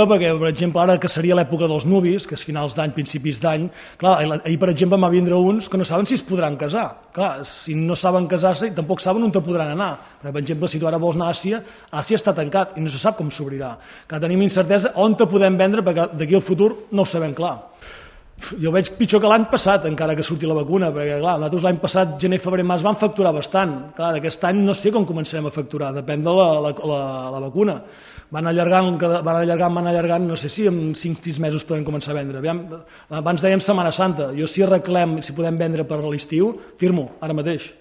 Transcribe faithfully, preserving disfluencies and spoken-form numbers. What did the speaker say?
perquè, per exemple, ara que seria l'època dels nuvis, que és finals d'any, principis d'any, clar, ahir, per exemple, va vindre uns que no saben si es podran casar. Clar, si no saben casar-se, tampoc saben on te podran anar. Per exemple, si tu ara vols anar a Àsia, Àsia està tancat i no se sap com s'obrirà. Que tenim incertesa on te podem vendre, perquè d'aquí al futur no ho sabem clar. Jo veig pitjor que l'any passat, encara que surti la vacuna, perquè clar, nosaltres l'any passat, gener, febrer, març, vam facturar bastant. Clar, d'aquest any no sé com començarem a facturar, depèn de la, la, la, la vacuna. Van allargant, van allargant, van allargant, no sé si en cinc sis mesos podem començar a vendre. Aviam, abans dèiem Setmana Santa, jo si arreglem, si podem vendre per l'estiu, firmo, ara mateix.